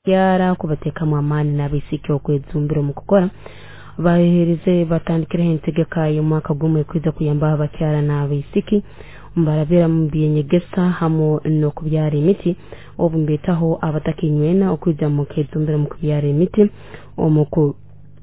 Abakyara kubateekamu amaani n'abaisiki okwejumbira omu kukora baheerize batandikireho entegeka y'omwaka gumu ekwija kuyambaho abakyara n'abaisiki mbarabira mu by'enyegesa hamu n'okubyara emiti obu mbeetaho abataka inywena okwija mukejumbira omu kubyara emiti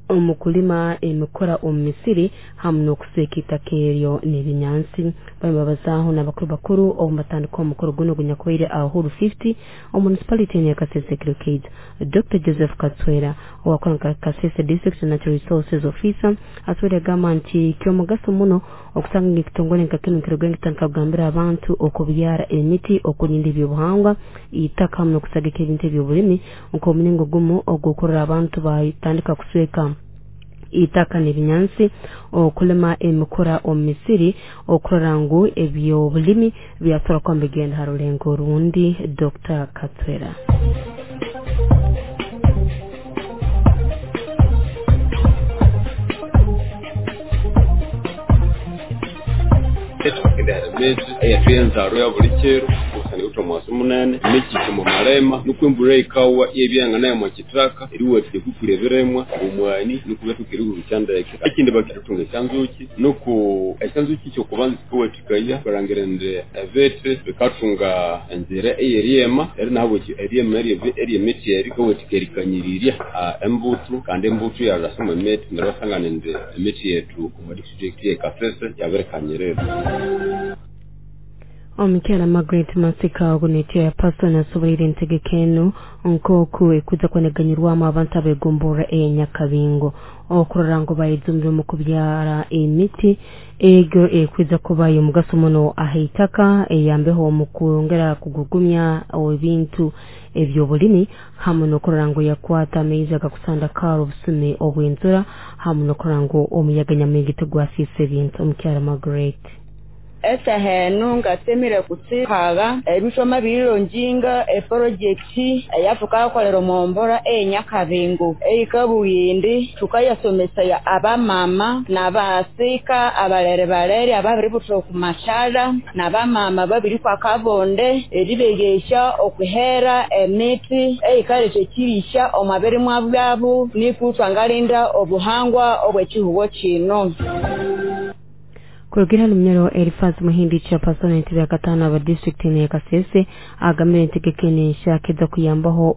omu kulima emikura omu misiri hamu n'okusweka itaka eryo n'ebinyansi. Barimu babazaaho n'abakuru bakuru obu batandika omukoro gunu ogunyakubaire aha Uhuru 50 omu municipality ya Kasese Kirukeija. Dr. Joseph Katswera owakora nka Kasese District Natural Resources Officer asobora agamba nti ky'omugaso muno okusanga ngu ekitongole nka kinu nikiruga nikitandika kugambira abantu okubyara emiti, okurinda ebyobuhangwa, itaka hamu n'okusagika ebintu eby'obulimi nk'omulingo gumu ogw'okurora abantu batandika kusweka itaka n'ebinyansi, okulima emikura omu misiri okurora ngu eby'obulimi byasobora kuba nibigenda ha rulengo orundi. Dr. Katswera. Emiti eyethu eyenzarwa ya buli kiro kusana iwuthe omuwasu munene emikiki omu malima nuko embulha eyikawa iyabya omu kithaka eriwathikya okwikulya ebirimwa omwani nuko byathoka erihurukya ndeke. Ekindi bakithunga esyanzuki nuko esyanzuki ekyokubanza sikawathikaya balhangira indi ebithi bikathunga enzira eyeryema neryo nahabwekyo eryema eryemithi eryo likawathikaya erikanyirirya embuthu kandi embuthu iyalhasa omwa mithi neryo iwasangana indi emithi yethu omwa district ye Kasese yabirikanyirira. Omukyala Margaret Masika ogu ni chairperson asoboleire entegeka enu nk'oku ekuza kweneganyirwamu abantu abegomborra eya Nyakabingo okurora ngu bayejumbira omu kubyara emiti egyo ekwija kuba y'omugaso muno aha itaka eyambeho omu kwongera kugugumya ebintu eby'obulimi hamu n'okurora ngu yakwata amaizi agakusandakara obusumi obw'enzura hamu n'okurora ngu omuyaga nyamwingi tigwasiisa ebintu. Omukyala Margaret. Esehenu ngasemire kutsikaga ebithoma birilonjinga eprojekti eyathukakolera omumbora eyenyakabingo eyikabugha thukayasomesaya abamama nabasika abalere balere ababiributha okumathalha nabamama ababirikwa akabonde eribeghesya okuhera emiti eyikaletha ekirisya omwa birimwa byabu niku thwangalinda obuhangwa obwekihugho kino. Kurugira Lunyoro Eliphaz Muhindi chairperson entebe ya katano aba district ya Kasese agambire entegeka eno enshaka eza kuyambaho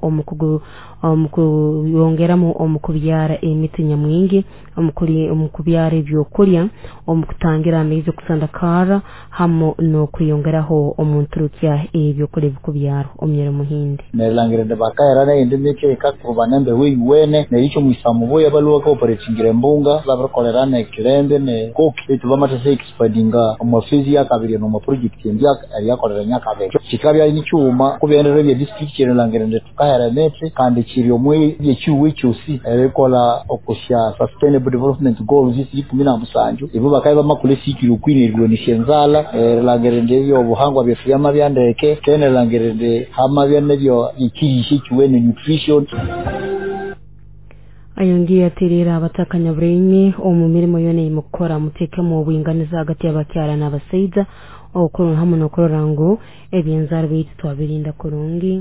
omukuyongeramu omukubyara emiti nyamwingi, omukubyara ebyokulya, omukutangira amaizi okusandakara hamu n'okweyongeraho omunturukya ebyokulya ebikubyarwa. Omunyoro Muhindi. Nerilangire indi bakahera neyindi miti eyikakuba nembeho eyuwene neryo omwisa mubuya balhuwa cooperatingira embunga babirikolera nekilembe nekoki betu bamathasa expandinga omu phase yakabiri nomu project endi eryakolera nyakabiri kikabya nikyuma kubyenderero bya district erilangire indi thukahera emiti kandi kiri omwe byekihugo ekyosi erikolha okusya sustainable development goals isi 17 ibo bakabya bamakolha esikiri okwina erilwanisya enzalha erilangire indi ebyobuhangwa byethu byamabya ndeke kene erilangire indi hamabya nebyo ekirisya ekiwene nutrition. Ayongiye aterera abataka nyaburenyi omu mirimo yona eyimukukora muteekemu obwinganiza hagati y'abakyara n'abasaija hamu n'okurora ngu ebyenzarwa byaitu twabirinda kurungi.